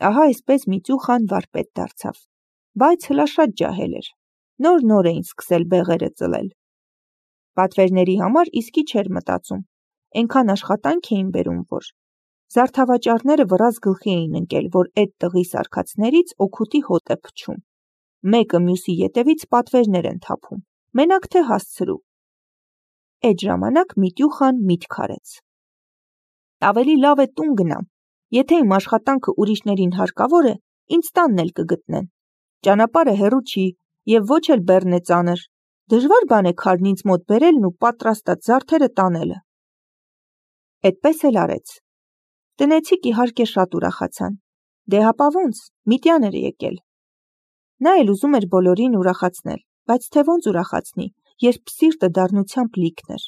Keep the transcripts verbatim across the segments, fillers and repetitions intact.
Ահա այսպես Միտյուխան վարպետ դարձավ, բայց հլաշատ ջահել էր, նոր-նոր էին սկսել բեղերը ծլել։ Պատվերների համար իսկի չէր մտածում, այնքան աշխատանք էին բերում, որ զարդավաճառները վրազ գլխի էին ընկել, որ էդ տղի սարքածներից օգուտի հոտ է փչում, մեկը մյուսի ետևից պատվերներ են թափում, մենակ թե հասցրու։ Այդ ժամանակ Միտյուխան միտք արեց. ավելի լավ է տուն գնամ, եթե իմ աշխատանքը ուրիշներին հարկավոր է, ինձ տանն էլ կգտնեն, ճանապարհը հեռու չի և ոչ էլ բեռն է ծանր, դժվար բան է քարն ինձ մոտ բերելն ու պատրաստած զարդերը տանելը։ Էդպես էլ արեց։ Տնեցիք իհարկե շատ ուրախացան, դե հապա ոնց, Միտյան էր եկել։ Նա էլ ուզում էր բոլորին ուրախացնել, բայց թե ոնց ուրախացնի, երբ սիրտը դառնությամբ լիքն էր։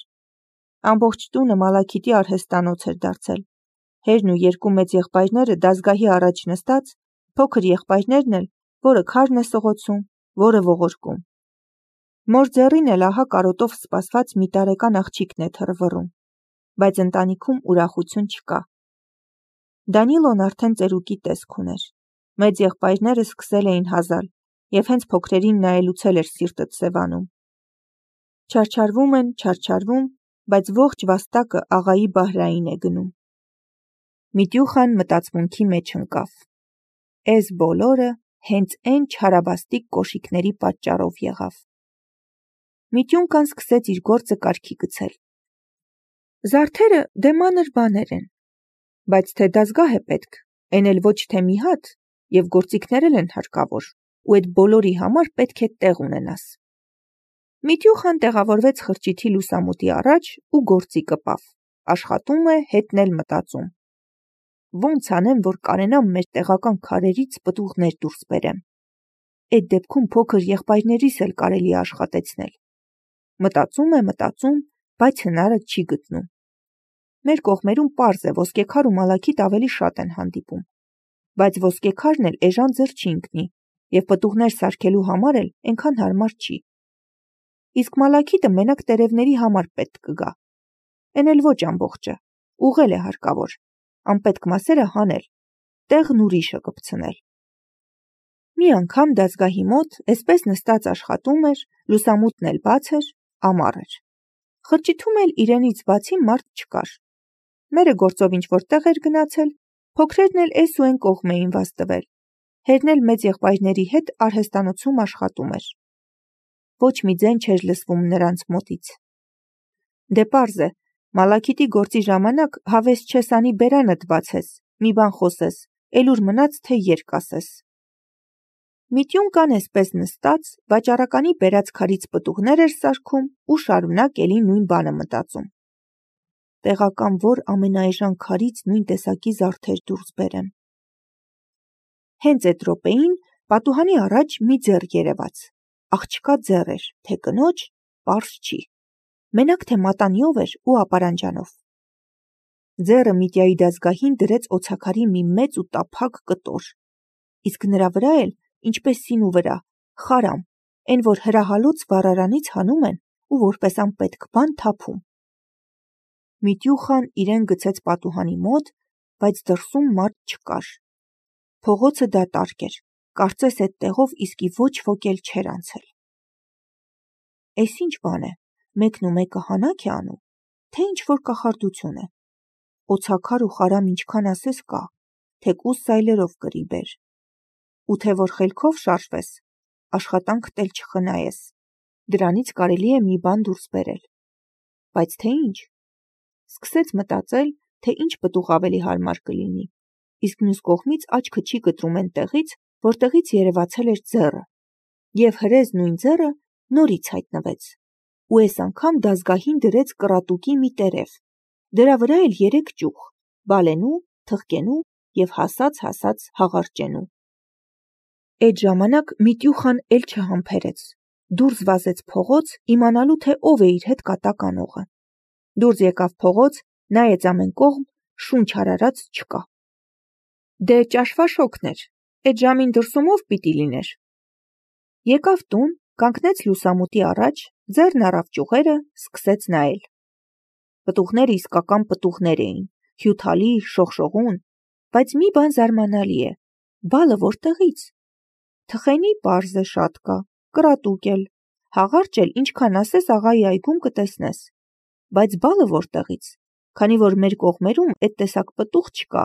Ամբողջ տունը Մալաքիթի արհեստանոց էր դարձել, հերն ու երկու մեծ եղբայրները դազգահի առաջ նստած, փոքր եղբայրներն էլ, որը քարն է սղոցում, որը ողորկում։ Մոր ձեռին էլ ահա կարոտով սպասված մի տարեկան աղջիկն է թռվռում, բայց ընտանիքում ուրախություն չկա։ Դանիլոն արդեն ծերուկի տեսք ուներ, մեծ եղբայրները սկսել էին հազալ, և հենց փոքրերին նայելուց էլ էր սիրտը սևանում։ Չարչարվում են, չարչարվում, բայց ողջ վաստակը աղայի Բահրային է գնում։ Միտյուխան մտածմունքի մեջ ընկավ. Էս բոլորը հենց էն չարաբաստիկ կոշիկների պատճառով եղավ։ Միտյունքան սկսեց իր գործը կարգի գցել։ Զարդերը դե մանր բաներ են, բայց թե դազգահ է պետք, այն էլ ոչ թե մի հատ, և գործիքներ էլ են հարկավոր, ու այդ բոլորի համար պետք է տեղ ունենաս։ Միտյուխան տեղավորվեց խրճիթի լուսամուտի առաջ ու գործի կպավ, աշխատում է, հետն էլ մտածում. ոնց անեմ, որ կարենամ մեր տեղական քարերից պտուղներ դուրս բերեմ։ Այդ դեպքում փոքր եղբայրներիս էլ կարելի է աշխատեցնել։ Մտածում է, մտածում, բայց հնարը չի գտնում։ Մեր կողմերում պարզ է, ոսկեքար ու մալաքիթ ավելի շատ են հանդիպում, բայց ոսկեքարն էլ էժան ձեռ չի ընկնի, և պտուղներ սարքելու համար էլ այնքան հարմար չի։ Իսկ մալաքիթը մենակ տերևների համար պետք կգա։ Էն էլ ոչ ամբողջը, ուղղել է հարկավոր, անպետք մասերը հանել, տեղն ուրիշը կպցնել։ Մի անգամ դազգահի մոտ էսպես նստած աշխատում էր, լուսամուտն էլ բաց էր, ամառ էր։ Խրճիթում էլ իրենից բացի մարդ չկար։ Մերը գործով ինչ-որ տեղ էր գնացել, փոքրերն էլ էս ու էն կողմ էին վազ տվել, հերն էլ մեծ եղբայրների հետ արհեստանոցում աշխատում էր։ Ոչ մի ձայն չէր լսվում նրանց մոտից։ Դե պարզ է, Մալաքիթի գործի ժամանակ հավես չես անի բերանդ բացես, մի բան խոսես, էլ ուր մնաց, թե երկ ասես։ Միտյունքան էսպես նստած, վաճառականի բերած քարից պտուղներ էր սարքում ու շարունակ էլի նույն բանը մտածում։ Տեղական որ ամենաէժան քարից նույն տեսակի զարդեր դուրս բերեմ։ Հենց այդ րոպեին պատուհանի առաջ մի ձեռ երևաց, աղջկա ձեռ էր, թե կնոջ, պարզ չի, մենակ թե մատանիով էր ու ապարանջանով։ Ձեռը Միտյայի դազգահին դրեց օձաքարի մի մեծ ու տափակ կտոր, իսկ նրա վրա էլ, ինչպես սինու վրա, խարամ, էն որ հրահալոց վառարանից հանում են ու որպես անպետք բան թափում։ Միտյուխան իրեն գցեց պատուհանի մոտ, բայց դրսում մարդ չկար։ Փողոցը դատարկ էր, կարծես այդ տեղով իսկի ոչ ոք էլ չէր անցել։ Էս ինչ բան է, մեկն ու մեկը հանաք է անում, թե ինչ-որ կախարդություն է։ Օձաքար ու խարամ ինչքան ասես կա, թեկուզ սայլերով կրի բեր։ Ու թե որ խելքով շարժվես, աշխատանքդ էլ չխնայես, դրանից կարելի է մի բան դուրս բերել։ Բայց թե ինչ։ Սկսեց մտածել, թե ինչ պտուղ ավելի հարմար կլինի, իսկ մյուս կողմից աչքը չի կտրում այն տեղից, որտեղից երևացել էր ձեռը, և հրեզ նույն ձեռը նորից հայտնվեց, ու այս անգամ դազգահին դրեց կռատուկի մի տերև, դրա վրա էլ երեք ճյուղ, բալենու, թխկենու և հասած-հասած հաղարջենու։ Այդ ժամանակ Միտյուխան էլ չհամբերեց, դուրս վազեց փողոց, իմանալու թե ով է իր հետ կատակ անողը։ Դուրս եկավ փողոց, նայեց ամեն կողմ, շունչ արարած չկա։ Դե ճաշվաշոգն էր, այդ ժամին դրսում ով պիտի լիներ։ Եկավ տուն, կանգնեց լուսամուտի առաջ, ձեռն առավ ճյուղերը, սկսեց նայել։ Պտուղները իսկական պտուղներ էին, հյութալի, շողշողուն, բայց մի բան զարմանալի է, Բալը որտեղից։ Թխենի պարզ է շատ կա, կրատուկ էլ, հաղարճ էլ ինչքան ասես աղայի այգում կտեսնես, բայց բալը որտեղից, քանի որ մեր կողմերում էդ տեսակ պտուղ չկա,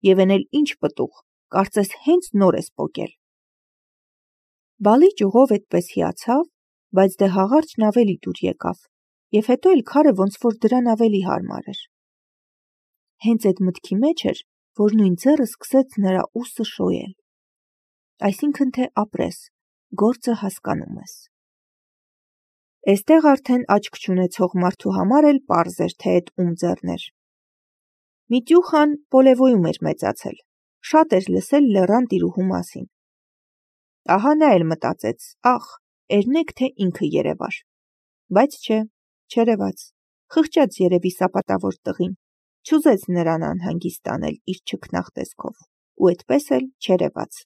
եւ էն էլ ինչ պտուղ, կարծես հենց նոր ես պոկել։ Բալի ճյուղով էդպես հիացավ, բայց դե հաղարջն ավելի դուր եկավ, եւ հետո էլ քարը ոնց որ դրան ավելի հարմար էր։ Հենց այդ մտքի մեջ էր, որ նույն ձեռը սկսեց նրա ուսը շոյել։ Այսինքն թե ապրես, գործը հասկանում ես։ Էստեղ արդեն աչք չունեցող մարդու համար էլ պարզ էր, թե այդ ում ձեռն էր։ Միտյուխան Պոլևոյում էր մեծացել, շատ էր լսել լեռան տիրուհու մասին։ Ահա նա էլ մտածեց, ախ, երնեք թե ինքը երևար։ Բայց չէ, չերևաց, խղճաց երևի սապատավոր տղին, չուզեց նրան անհանգիստ անել իր չքնաղ տեսքով, ու այդպես էլ չերևաց։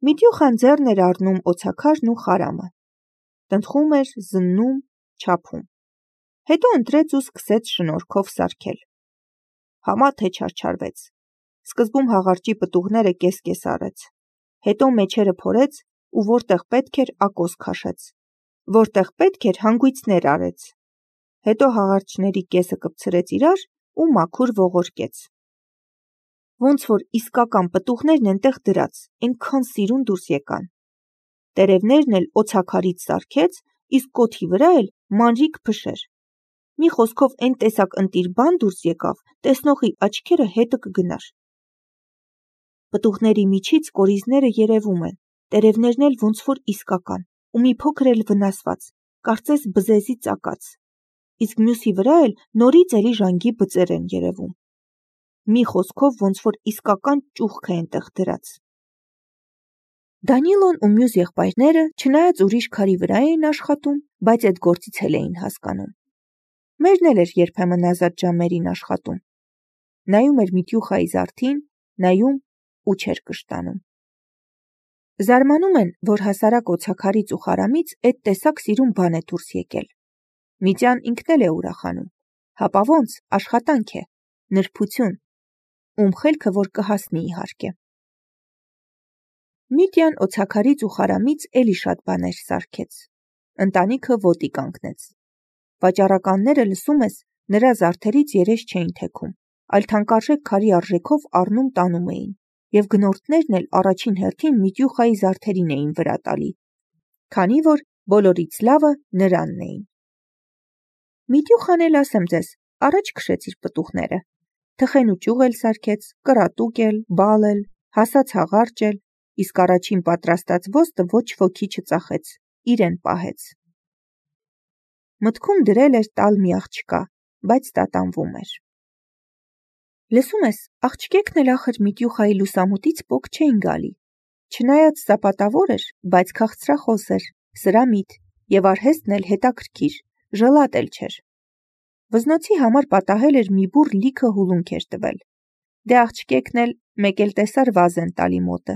Միտյուխան ձեռն էր առնում օձաքարն ու խարամը, տնտղում էր, զննում, չափում։ Հետո ընտրեց ու սկսեց շնորքով սարքել։ Համա թե չարչարվեց։ Սկզբում հաղարջի պտուղները կես-կես արեց, հետո մեջերը փորեց ու որտեղ պետք էր ակոս քաշեց, որտեղ պետք էր հանգույցներ արեց, հետո հաղարջների կեսը կպցրեց իրար ու մաքուր ողորկեց։ Ոնց որ իսկական պտուղներն ենտեղ դրած, այնքան սիրուն դուրս եկան։ Տերևներն էլ օձաքարից սարքեց, իսկ կոթի վրա էլ մանրիկ փշեր։ Մի խոսքով այն տեսակ ընտիր բան դուրս եկավ, տեսնողի աչքերը հետը կգնար։ Պտուղների միջից կորիզները երևում են, տերևներն էլ ոնց որ իսկական, ու մի փոքր էլ վնասված, կարծես բզեզի ծակած, իսկ մյուսի վրա էլ նորից էլի ժանգի բծեր են երևում։ Մի խոսքով ոնց որ իսկական ճուղք է այնտեղ դրած։ Դանիլոն ու մյուս եղբայրները, չնայած ուրիշ քարի վրա էին աշխատում, բայց այդ գործից էլ էին հասկանում։ Մերն էլ էր երբեմն ազատ ժամերին աշխատում։ Նայում էր Միտյուխայի զարդին, նայում ու չէր կշտանում։ Զարմանում են, որ հասարակ օձաքարից ու խարամից այդ տեսակ սիրուն բան է դուրս եկել։ Միտյան ինքն էլ է ուրախանում։ Հապա ոնց, աշխատանք է, նրբություն, ում խելքը որ կհասնի իհարկե։ Միտյան օձաքարից ու խարամից էլի շատ բաներ սարքեց։ Ընտանիքը ոտի կանգնեց։ Վաճառականները, լսում ես, նրա զարդերից երես չէին թեքում, այլ թանկարժեք քարի արժեքով առնում տանում էին, եւ գնորդներն էլ առաջին հերթին Միտյուխայի զարդերին էին վրա տալի, քանի որ բոլորից լավը նրանն էին։ Միտյուխան էլ ասեմ ձեզ, առաջ քշեց իր պտուղները, թխեն ու ճյուղ էլ սարքեց, կրատուկ էլ, բալ էլ, հասած հաղարճ էլ, իսկ առաջին պատրաստած ոստը ոչ ոքի չծախեց, իրեն պահեց։ Մտքում դրել էր տալ մի աղջկա, բայց տատանվում էր։ Լսում ես, աղջկեկն էլ ախր Միտյուխայի լուսամուտից պոկ չէին գալի, չնայած սապատավոր էր, բայց քաղցրախոս էր, սրամիտ, եւ արհեստն էլ հետաքրքիր, ժլատ էլ չէր։ Վզնոցի համար պատահել էր մի բուռ լիքը հուլունք էր տվել։ Դե աղջկեկն էլ մեկ էլ տեսար վազեն տալի մոտը։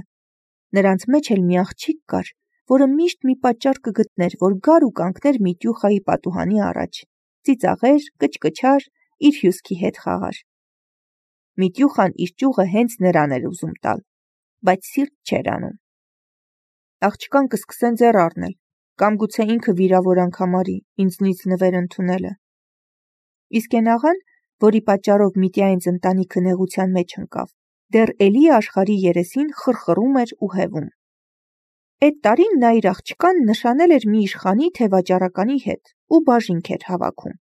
Նրանց մեջ էլ մի աղջիկ կար, որը միշտ մի պատճառ կգտներ, որ գար ու կանգներ Միտյուխայի պատուհանի առաջ, ծիծաղեր, կչկչար, իր հյուսքի հետ խաղար։ Միտյուխան իր ճյուղը հենց նրան էր ուզում տալ, բայց սիրտ չէր անում։ Աղջկան կսկսեն ձեռ առնել, կամ գուցե ինքը վիրավորանք համարի, ինձնից նվեր ընդունելը։ Իսկ այն աղան, որի պատճառով Միտյայինց ընտանիքը նեղության մեջ ընկավ, դեռ էլի աշխարհի երեսին խռխռում էր ու հևում։ Այդ տարին նա իր աղջկան նշանել էր մի իշխանի թե վաճառականի հետ ու բաժինք էր հավաքում։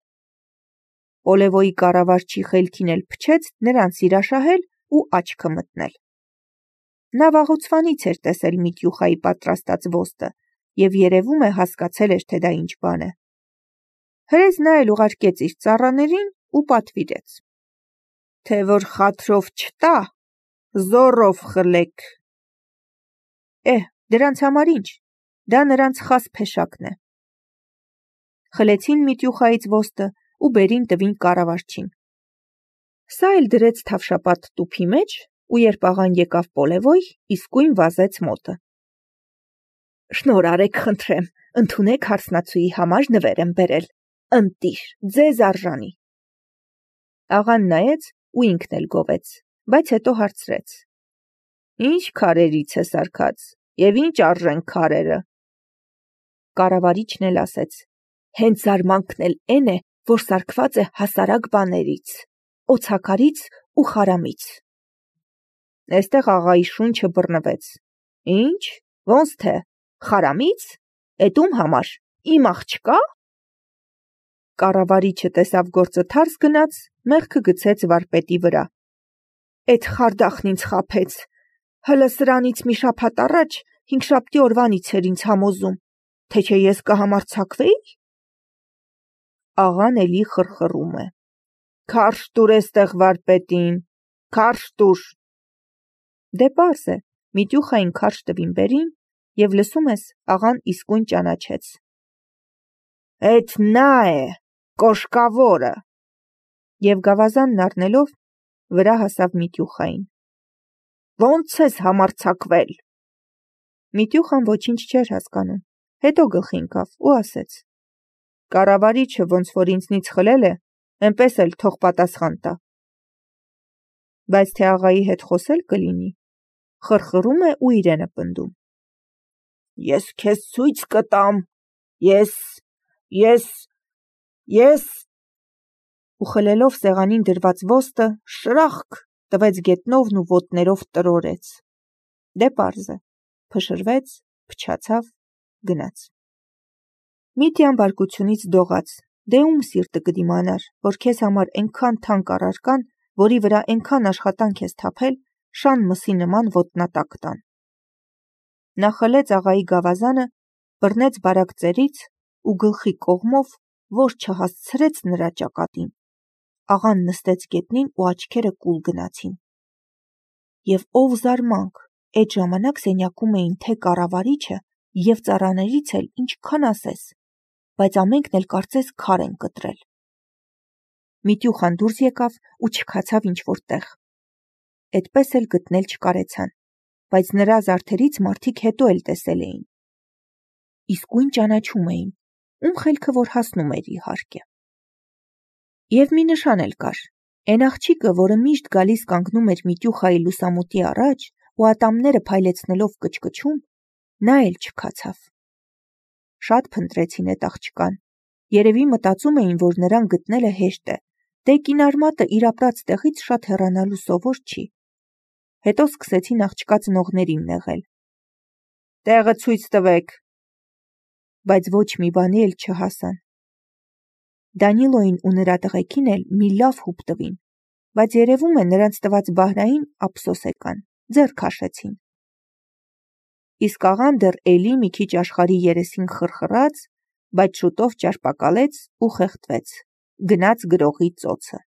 Պոլևոյի կառավարչի խելքին էլ փչեց նրան սիրաշահել ու աչքը մտնել։ Նա վաղուցվանից էր տեսել Միտյուխայի պատրաստած ոստը եւ երևում է հասկացել էր, թե դա ինչ բան է։ Հրեզ նա էլ ուղարկեց իր ծառաներին ու պատվիրեց. թե որ խաթրով չտա, զոռով խլեք։ Էհ, դրանց համար ինչ, դա նրանց խաս փեշակն է։ Խլեցին Միտյուխայից ոստը ու բերին տվին կառավարչին։ Սա էլ դրեց թավշապատ տուփի մեջ, ու երբ աղան եկավ Պոլևոյ, իսկույն վազեց մոտը։ Շնորհ արեք, խնդրեմ, ընդունեք հարսնացուի համար նվեր եմ բերել, ընտիր, ձեզ արժանի։ Աղան նայեց ու ինքն էլ գովեց, բայց հետո հարցրեց. Ինչ քարերից է սարքած, և ինչ արժեն քարերը։ Կառավարիչն էլ ասեց. հենց զարմանքն էլ էն է, որ սարքված է հասարակ բաներից, օձաքարից ու խարամից։ Էստեղ աղայի շունչը բռնվեց. Ինչ, ոնց թե, խարամից, էդ ում համար, իմ աղջկա՞։ Կառավարիչը տեսավ գործը թարս գնաց, մեղքը գցեց վարպետի վրա։ Էդ խարդախն ինձ խաբեց, հլը սրանից մի շաբաթ առաջ հինգշաբթի օրվանից էր ինձ համոզում, թե չէ ես կհամարձակվեի։ Աղան էլի խրխռում է. Քարշ տուր էստեղ վարպետին, քարշ տուր։ Դե պարզ է, Միտյուխային քարշ տվին բերին, և լսում ես, աղան իսկույն ճանաչեց. Էդ նա է, կոշկավորը։ Եվ գավազանն առնելով, վրա հասավ Միտյուխային. Ոնց ես համարձակվել։ Միտյուխան ոչինչ չէր հասկանում, հետո գլխի ընկավ ու ասեց. Կառավարիչը ոնց որ ինձնից խլել է, էնպես էլ թող պատասխան տա։ Բայց թե աղայի հետ խոսել կլինի, խրխռում է ու իրենը պնդում. Ես քեզ ցույց կտամ, ես, ես, ես… Ու խլելով սեղանին դրված ոստը, շրախկ տվեց գետնովն ու ոտներով տրորեց։ Դե պարզ է, փշրվեց, փչացավ, գնաց։ Միտյան բարկությունից դողաց, դե ում սիրտը կդիմանար, որ քեզ համար էնքան թանկ առարկան, որի վրա էնքան աշխատանք ես թափել, շան մսի նման ոտնատակ տան։ Նա խլեց աղայի գավազանը, բռնեց բարակ ծերից ու գլխի կողմով, որ չհասցրեց նրա ճակատին, աղան նստեց գետնին ու աչքերը կուլ գնացին։ Եվ ով զարմանք, էդ ժամանակ սենյակում էին թե կառավարիչը և ծառաներից էլ ինչքան ասես, բայց ամենքն էլ կարծես քար են կտրել։ Միտյուխան դուրս եկավ ու չքացավ ինչ-որ տեղ։ Էդպես էլ գտնել չկարեցան, բայց նրա զարդերից մարդիկ հետո էլ տեսել էին։ Իսկույն ճանաչում էին, ում խելքը որ հասնում էր իհարկե։ Եվ մի նշան էլ կար, էն աղջիկը, որը միշտ գալիս կանգնում էր Միտյուխայի լուսամուտի առաջ ու ատամները փայլեցնելով կչկչում, նա էլ չքացավ։ Շատ փնտրեցին էդ աղջկան, երևի մտածում էին, որ նրան գտնելը հեշտ է, դե կինարմատը իր ապրած տեղից շատ հեռանալու սովոր չի։ Հետո սկսեցին աղջկա ծնողներին նեղել. Տեղը ցույց տվեք։ Բայց ոչ մի բանի էլ չհասան։ Դանիլոյին ու նրա տղեկին էլ մի լավ հուպ տվին, բայց երևում է նրանց տված բահրային ափսոս եկան, ձեռ քաշեցին։ Իսկ աղան դեռ էլի մի քիչ աշխարհի երեսին խրխռաց, բայց շուտով ճարպակալեց ու խեղդվեց, գնաց գրողի ծոցը։